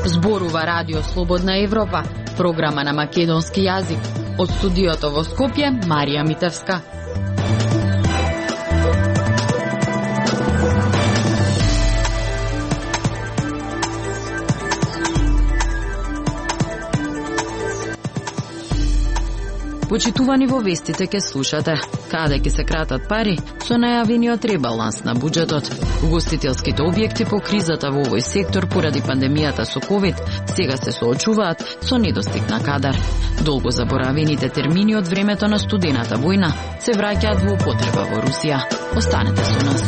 Зборува Радио Слободна Европа, програма на македонски јазик. Од студиото во Скопје, Марија Митевска. Почитувани, во вестите ке слушате каде ќе се кратат пари со најавениот ребаланс на буџетот. Угостителските објекти по кризата во овој сектор поради пандемијата со ковид сега се соочуваат со недостиг на кадар. Долго заборавените термини од времето на студената војна се враќаат во употреба во Русија. Останете со нас.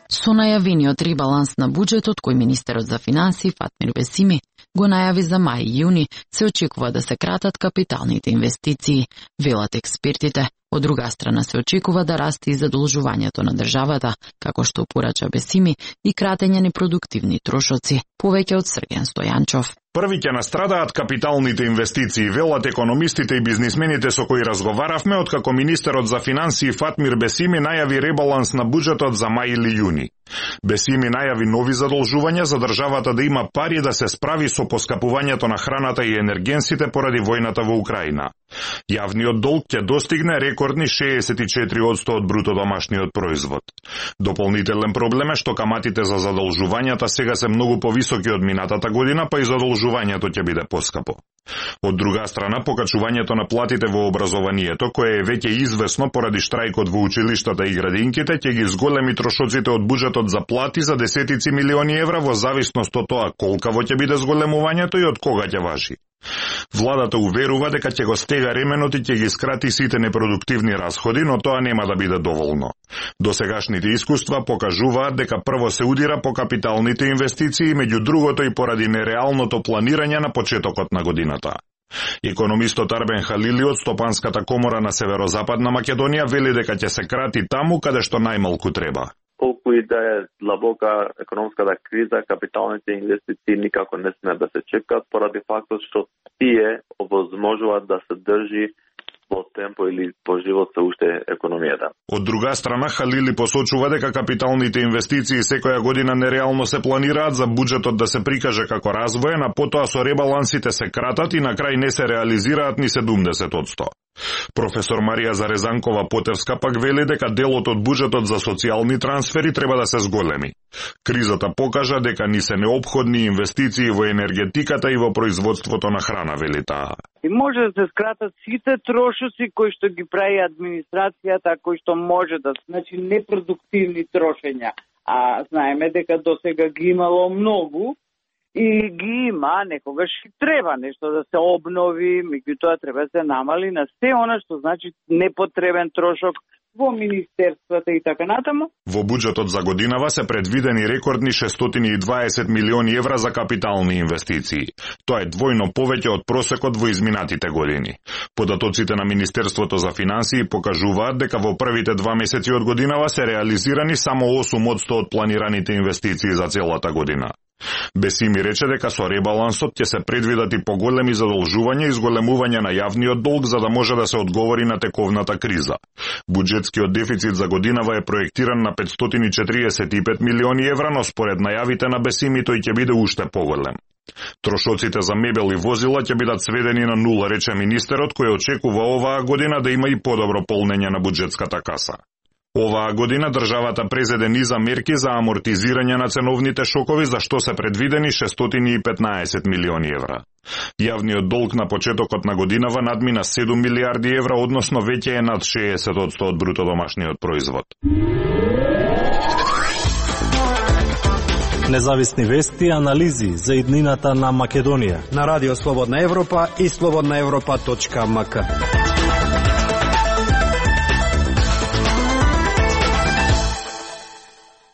Со најавениот ребаланс на буџетот, кој министерот за финансии Фатмир Бесими го најави за мај и јуни, се очекува да се кратат капиталните инвестиции, велат експертите. Од друга страна се очекува да расте и задолжувањето на државата, како што порача Бесими, и кратење непродуктивни трошоци. Повеќе од Срген Стојанчов. Први ќе настрадаат капиталните инвестиции, велат економистите и бизнисмените со кои разговаравме, откако министерот за финансии Фатмир Бесими најави ребаланс на буџетот за мај или јуни. Бесими најави нови задолжувања за државата да има пари да се справи со поскапувањето на храната и енергенсите поради војната во Украина. Јавниот долг ќе достигне рекордни 64% од бруто домашниот производ. Дополнителен проблем е што каматите за задолжувањата сега се многу повисоки од минатата година, па и задолжувањето ќе биде поскапо. Од друга страна, покачувањето на платите во образованието, кое е веќе известно поради штрајкот во училиштата и градинките, ќе ги зголеми трошоците од буџетот за плати за десетици милиони евра во зависност од тоа колкаво ќе биде зголемувањето и од кога ќе важи. Владата уверува дека ќе го стега ременот и ќе ги скрати сите непродуктивни расходи, но тоа нема да биде доволно. Досегашните искуства покажуваат дека прво се удира по капиталните инвестиции, меѓу другото и поради нереалното планирање на почетокот на годината. Економистот Арбен Халили од Стопанската комора на Северозападна Македонија вели дека ќе се крати таму каде што најмалку треба. Колку и да е длабока економската криза, капиталните инвестиции никако не смеат да се чекат поради фактот што тие овозможуваат да се држи во темпо или по живот се уште економијата. Од друга страна, Халили посочува дека капиталните инвестиции секоја година нереално се планираат за буџетот да се прикаже како развоен, а потоа со ребалансите се кратат и на крај не се реализираат ни 70%. Професор Марија Зарезанкова Потевска пак вели дека делот од буџетот за социјални трансфери треба да се зголеми. Кризата покажа дека ни се неопходни инвестиции во енергетиката и во производството на храна, вели таа. И може да се скратат сите трошоци кои што ги прави администрацијата, кои што може да, значи непродуктивни трошења. А знаеме дека досега ги имало многу и ги има, некогаш и треба нешто да се обнови, меѓутоа треба да се намали на се она што значи непотребен трошок во министерствата и така натаму. Во буџетот за годинава се предвидени рекордни 620 милиони евра за капитални инвестиции. Тоа е двојно повеќе од просекот во изминатите години. Податоците на Министерството за финансии покажуваат дека во првите 2 месеци од годинава се реализирани само 8% од планираните инвестиции за целата година. Бесими рече дека со ребалансот ќе се предвидат и поголеми задолжувања и зголемување на јавниот долг за да може да се одговори на тековната криза. Буџетскиот дефицит за годинава е проектиран на 545 милиони евра, но според најавите на Бесими тој ќе биде уште поголем. Трошоците за мебел и возила ќе бидат сведени на нула, рече министерот, кој очекува оваа година да има и подобро полнење на буџетската каса. Оваа година државата презеде низа мерки за амортизирање на ценовните шокови, за што се предвидени 615 милиони евра. Јавниот долг на почетокот на годинава надмина 7 милиарди евра, односно веќе е над 60% од бруто домашниот производ. Независни вести и анализи за иднината на Македонија на Радио Слободна Европа и slobodnaevropa.mk.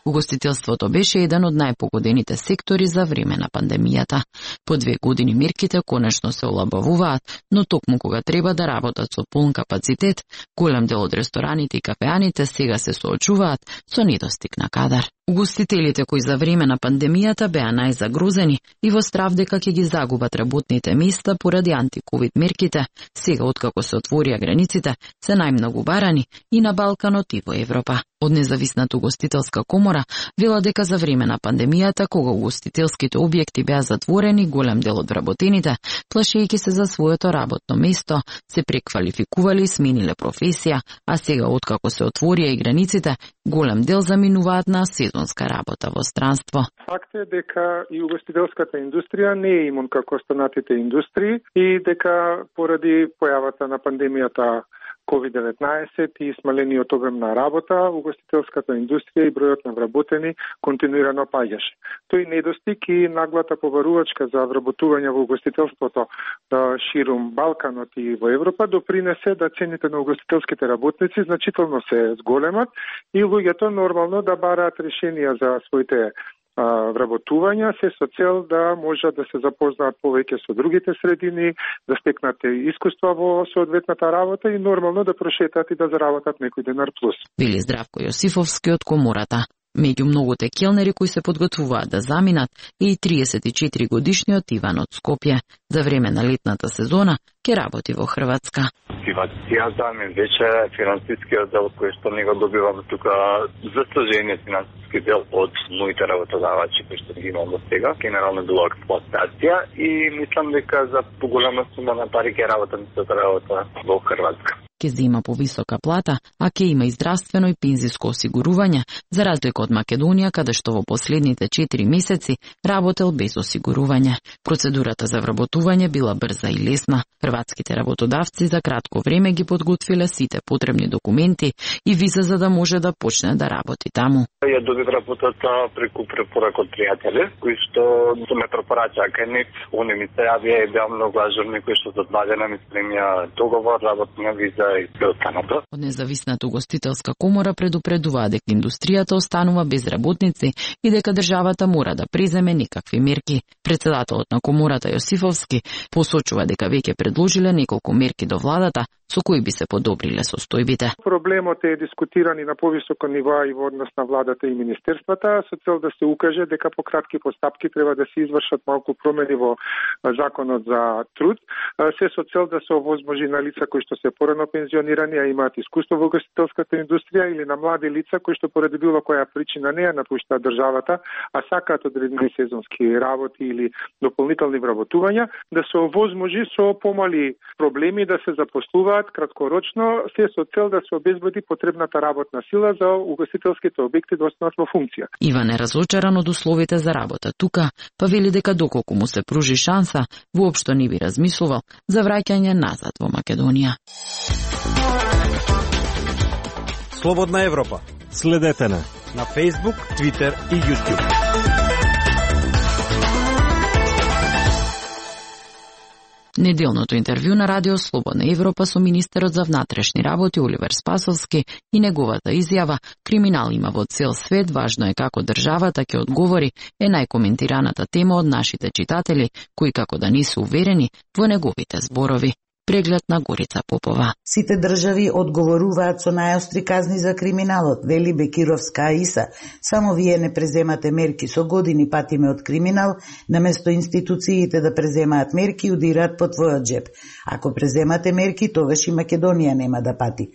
Угостителството беше еден од најпогодените сектори за време на пандемијата. По 2 години мерките конечно се олабавуваат, но токму кога треба да работат со полн капацитет, голем дел од рестораните и кафеаните сега се соочуваат со недостиг на кадар. Угостителите кои за време на пандемијата беа најзагрозени и во страв дека ќе ги загубат работните места поради антиковид мерките, сега откако се отворија границите, се најмногу барани и на Балканот и во Европа. Од Независната угостителска комора вела дека за време на пандемијата, кога угостителските објекти беа затворени, голем дел од вработените, плашејќи се за своето работно место, се преквалификувале и смениле професија, а сега откако се отворија и границите, голем дел заминуваат на сезонска работа во странство. Факт е дека и угостителската индустрија не е имун како останатите индустрии и дека поради појавата на пандемијата COVID-19 и смалениот обем на работа, угостителската индустрија и бројот на вработени континуирано паѓаше. Тој недостиг и наглата побарувачка за вработување во угостителството ширум Балканот и во Европа допринесе да цените на угостителските работници значително се зголемат и луѓето нормално да бараат решенија за своите вработувања, се со цел да можат да се запознаат повеќе со другите средини, да стекнат искуства во соодветната работа и нормално да прошетат и да заработат некој денар плюс. Вели Здравко Јосифовски од комората. Меѓу многуте келнери кои се подготвуваат да заминат е и 34 годишниот Иван од Скопје. За време на летната сезона ќе работи во Хрватска. Мотивацијата ми беше финансискиот дел кој што не го добивам тука, за сложение финансиски дел од моите работодавачи кои што ги имам до сега. Генерално било експлоатација и мислам дека за поголема сума на пари ќе работам во Хрватска. Ќе зема повисока плата, а ќе има и здравствено и пензиско осигурување, за разлика од Македонија, каде што во последните 4 месеци работел без осигурување. Процедурата за вработување била брза и лесна. Хрватските работодавци за кратко време ги подготвиле сите потребни документи и виза за да може да почне да работи таму. Ја добив работата преку препорака од пријатели, кои што ме препорачаа кај нив. Они ми се јавија и беа многу ажурни, кои што за 2 дена ми спремија договор, работна виза и се останато. Од Независната угостителска комора предупредуваа дека индустријата останува без работници и дека државата мора да преземе некакви мерки. Председателот на комората Јосифовски посочува дека веќе предложиле неколку мерки до владата со кои би се подобриле состојбите. Проблемот е дискутиран и на повисоко ниво и во однос на владата и министерствата со цел да се укаже дека по кратки постапки треба да се извршат малку промени во законот за труд, се со цел да се овозможи на лица кои што се порано пензионирани, а имаат искуство во угостителската индустрија или на млади лица кои што поради било која причина не ја напуштаат државата, а сакаат одредени сезонски работи или дополнителни вработувања, да се овозможи со помали проблеми да се запослуваат краткорочно, се со цел да се обезбеди потребната работна сила за угостителските објекти да останат во функција. Иван е разочаран од условите за работа тука, па вели дека доколку му се пружи шанса, воопшто не би размислувал за враќање назад во Македонија. Слободна Европа. Следете на Facebook, Twitter и YouTube. Неделното интервју на Радио Слободна Европа со министерот за внатрешни работи Оливер Спасовски и неговата изјава "Криминал има во цел свет, важно е како државата ќе одговори" е најкоментираната тема од нашите читатели, кои како да не се уверени во неговите зборови. Преглед на Горица Попова. Сите држави одговоруваат со најостри казни за криминалот, вели Бекировска Аиса. Само вие не преземате мерки, со години патиме од криминал, наместо институциите да преземаат мерки и удираат по твојот джеб. Ако преземате мерки, тогаш и Македонија нема да пати.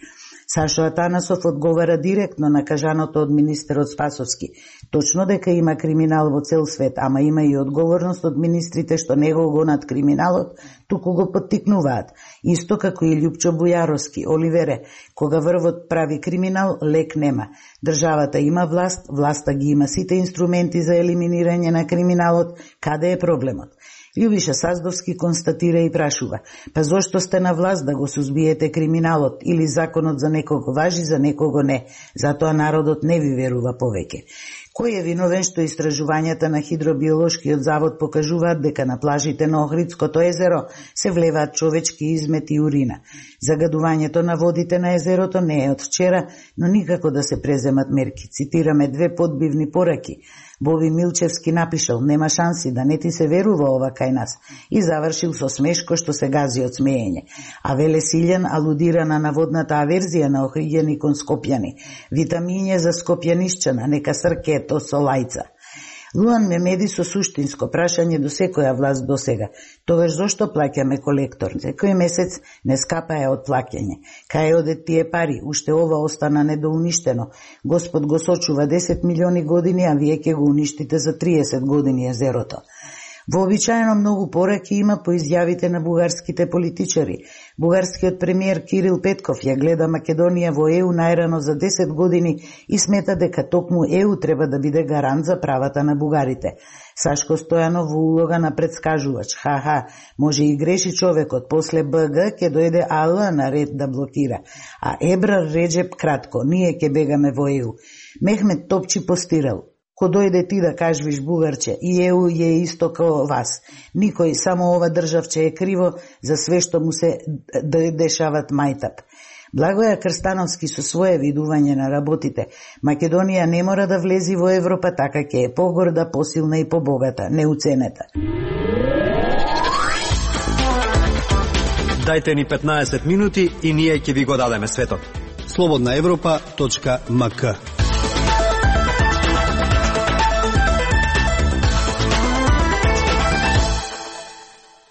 Сашо Атанасов одговара директно на кажаното од министерот Спасовски. Точно дека има криминал во цел свет, ама има и одговорност од министрите што не го гонат криминалот, туку го поттикнуваат. Исто како и Љупчо Бујаровски, Оливере, кога врвот прави криминал, лек нема. Државата има власт, власта ги има сите инструменти за елиминирање на криминалот, каде е проблемот? Љубиша Саздовски констатира и прашува: па зошто сте на власт да го сузбиете криминалот или законот за некого важи, за некого не? Затоа народот не ви верува повеќе. Кој е виновен што истражувањата на хидробиолошкиот завод покажуваат дека на плажите на Охридското езеро се влеваат човечки измети и урина? Загадувањето на водите на езерото не е од вчера, но никако да се преземат мерки. Цитираме 2 подбивни пораки. Боби Милчевски напишал: "Нема шанси да не ти се верува ова кај нас", и завршил со смешко што се гази од смеење. А Веле Силјан алудира на наводната аверзија на Охриѓани кон скопјани. "Витамиње за скопјанишчана, нека сркето со лајца." Луан Мемеди со суштинско прашање до секоја власт досега: "Тогаш зошто плаќаме колектор? Секој месец не скапае од плаќање. Кај одат тие пари? Уште ова остана недоуништено. Господ го сочува 10 милиони години, а вие ќе го уништите за 30 години езерото." Вообичаено многу пораки има по изјавите на бугарските политичари. Бугарскиот премиер Кирил Петков ја гледа Македонија во ЕУ најрано за 10 години и смета дека токму ЕУ треба да биде гарант за правата на бугарите. Сашко Стојанов во улога на предскажувач: "Ха, може и греши човекот, после БГ ќе дојде АЛ на ред да блокира. А Ебрар Реджеп кратко: ние ќе бегаме во ЕУ." Мехмет Топчи постирал: "Ко дојде ти да кажвиш бугарче, и ЕУ е исто као вас. Никој, само ова државче е криво за све што му се дешават мајтап." Благоја Крстановски со свое видување на работите: "Македонија не мора да влези во Европа, така ќе е погорда, посилна и побогата, неуценета." Дајте ни 15 минути и ние ќе ви го дадеме светот. slobodnaevropa.mk.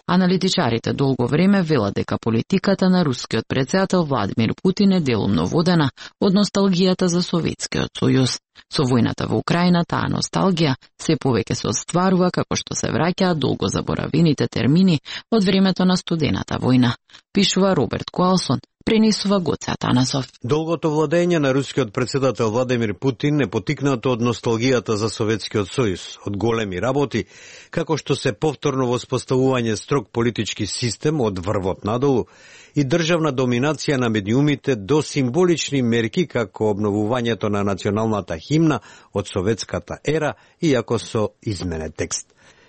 Аналитичарите долго време велат дека политиката на рускиот претседател Владимир Путин е делумно водена од носталгијата за Советскиот сојуз. Со војната во Украина таа носталгија се повеќе се остварува како што се враќаат долго заборавените термини од времето на студената војна, пишува Роберт Куалсон, пренесува Гоце Атанасов. Долгото владење на рускиот претседател Владимир Путин е потикнато од носталгијата за Советскиот сојуз, од големи работи, како што се повторно воспоставување строг политички систем од врвот надолу и државна доминација на медиумите до символични мерки како обновувањето на националната химна од советската ера, иако со изменет текст.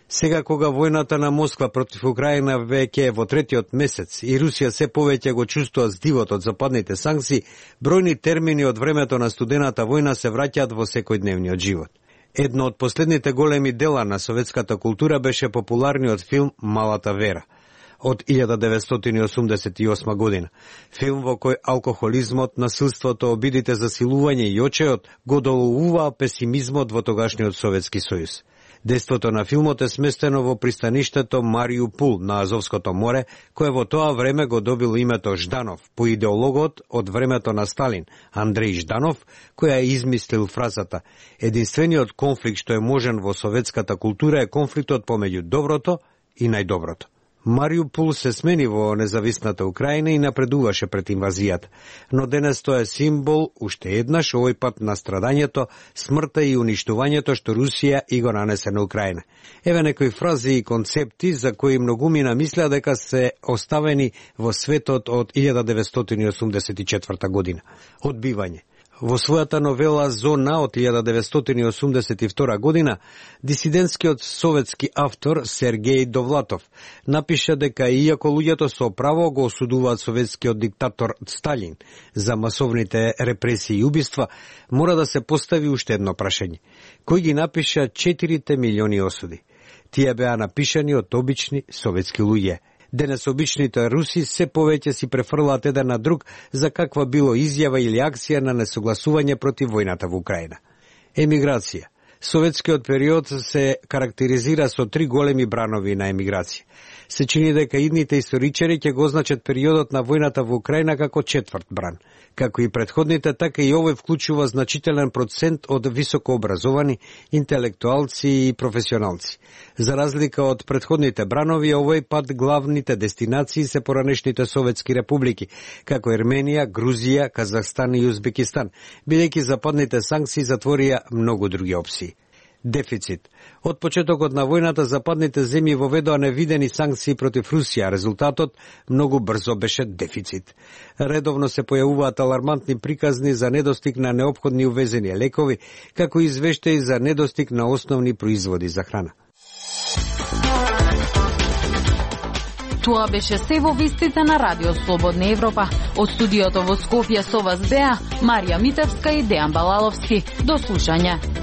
Сега кога војната на Москва против Украина веќе е во третиот месец и Русија се повеќе го чувствува здивот од западните санкции, бројни термини од времето на студената војна се враќаат во секојдневниот живот. Едно од последните големи дела на советската култура беше популарниот филм Малата Вера од 1988 година. Филм во кој алкохолизмот, насилството, обидите за силување и очеот го доловуваа песимизмот во тогашниот Советски сојуз. Дејството на филмот е сместено во пристаништето Мариупул на Азовското море, кое во тоа време го добило името Жданов, по идеологот од времето на Сталин, Андреј Жданов, која измислил фразата: "Единствениот конфликт што е можен во советската култура е конфликтот помеѓу доброто и најдоброто." Мариупул се смени во независната Украина и напредуваше пред инвазијата, но денес тоа е символ, уште еднаш, овој пат на страдањето, смртта и уништувањето што Русија и го нанесе на Украина. Еве некои фрази и концепти за кои многумина мислеа дека се оставени во светот од 1984 година. Одбивање. Во својата новела Зона од 1982 година, дисидентскиот советски автор Сергеј Довлатов напиша дека иако луѓето со право го осудуваат советскиот диктатор Сталин за масовните репресии и убиства, мора да се постави уште едно прашање: кој ги напиша 4 милиони осуди? Тие беа напишани од обични советски луѓе. Денес обичните руси се повеќе си префрлаат еден на друг за каква било изјава или акција на несогласување против војната во Украина. Емиграција. Советскиот период се карактеризира со 3 големи бранови на емиграција. Се чини дека идните историчари ќе го означат периодот на војната во Украина како 4 бран. Како и претходните, така и овој вклучува значителен процент од високообразовани, интелектуалци и професионалци. За разлика од претходните бранови, овој пат главните дестинации се поранешните советски републики, како Ерменија, Грузија, Казахстан и Узбекистан, бидејќи западните санкции затворија многу други опции. Дефицит. Од почетокот на војната западните земји воведоа невидени санкции против Русија, резултатот многу брзо беше дефицит. Редовно се појавуваат алармантни приказни за недостиг на неопходни увезени лекови, како и извештаи за недостиг на основни производи за храна. Тоа беше се во вестите на Радио Слободна Европа. Од студиото во Скопје со вас беа Марија Митевска и Дејан Балаловски. До слушање.